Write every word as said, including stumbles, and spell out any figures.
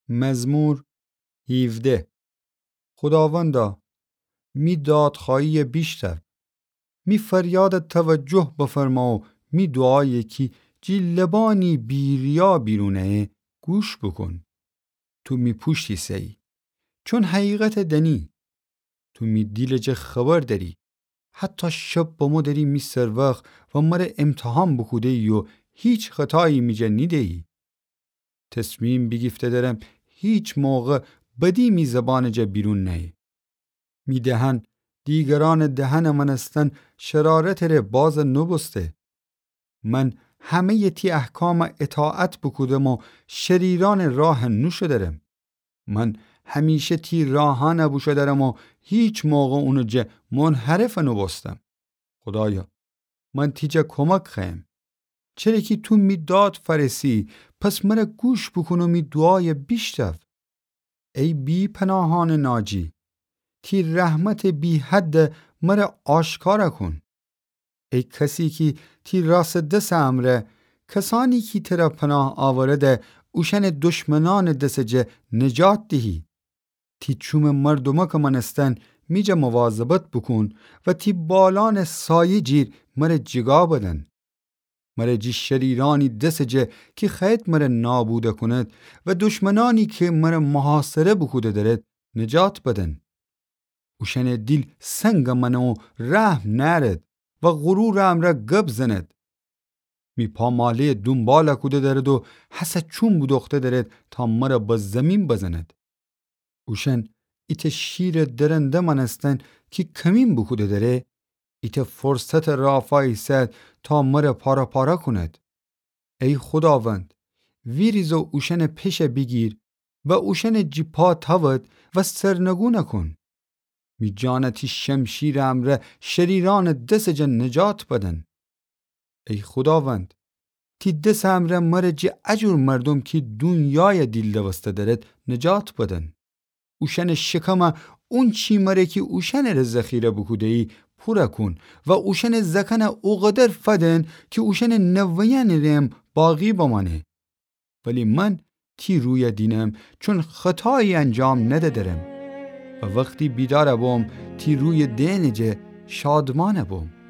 مزمور هیوده. خوداوندا، می دادخوأییَ بیشنو. می فریادَ توجه بفرما و می دوعایَ کی جی لبأنی بی‌ریا بیرون ایه، گوش بوکون. تو می پوشت ایسه‌یی، چون حقیقتَ دأنی. تو می دیلٚ جا خبر دأری. حتی شب بمو دری می سروخ و مر امتحان بوکوده‌یی و هیچ خطایی می جا نیده‌یی. تصمیم بیگیفته درم هیچ موقع بدی می زبانٚ جا بیرون نأیه. می دهن دیگرأنٚ دهنٚ مأنستن شرارتٚ ره باز نوبوسته. من همه‌یٚ تی احکام اطاعت بوکودم و شریرأنٚ راه نوشودرم. من همیشه تی راهأن بوشودرم و هیچ موقع اونٚ جا منحرف نوبوستم. خودایا، من تی جا کمک خوأیم. چره کی تو می داد فأرسی، پس مر گوش بوکون و می دوعای بیشنو. ای بی‌پناهأنٚ ناجی، تی رحمتٚ بی‌حد مر آشکار کون. ای کسی کی تی راستٚ دسٚ امرأ، کسأنی کی تر پناه آورده، اوشأنٚ دشمنأنٚ دسٚ جا نجات دیهی. تی چومٚ مردومکٚ مأنستن می جا مواظبت بوکون و تی بالأنٚ سایه جیر مر جیگا بدن. مر جی شریرأنی دسٚ جا کی خوأید مر نابود کند و دشمنأنی کی مر محاصره بوکوده درد نجات بدن. اوشأنٚ دیل سنگ مأنه و رحم نأرد و غرورٚ امرأ گب زند. می پاماله‌یٚ دونبال کوده درد و هسه چوم بودوخته درد تا مر به زیمین بزند. اوشأن ایتأ شیرٚ درنده مأنستن کی کمین بوکوده دره، ایتأ فرصتٚ رافا ایسد تا مر پاره پاره کند. ای خوداوند، ویریز و اوشأنٚ پشه بیگیر و اوشأنٚ جی پا تأود و سرنگون کون. می جان تی شمشیرٚ امرأ شریرأنٚ دسٚ جا نجات بدن. ای خوداوند، تی دسٚ امرأ مر جی ا جور مردوم کی دونیای دیل دوسته درد نجات بدن. اوشأنٚ شکم اونچی مر کی اوشأنٚ ره ذخیره بوکوده‌یی پور کون و اوشأنٚ زأکأن اوقدر فدن کی اوشأنٚ نوه‌یأنٚ ره‌م باقی بمأنه. ولی من تی روی دینم، چون خطایی انجام ندأدرم. و وختی بیدار بوم، تی روی دئنٚ جا شادمان بوم.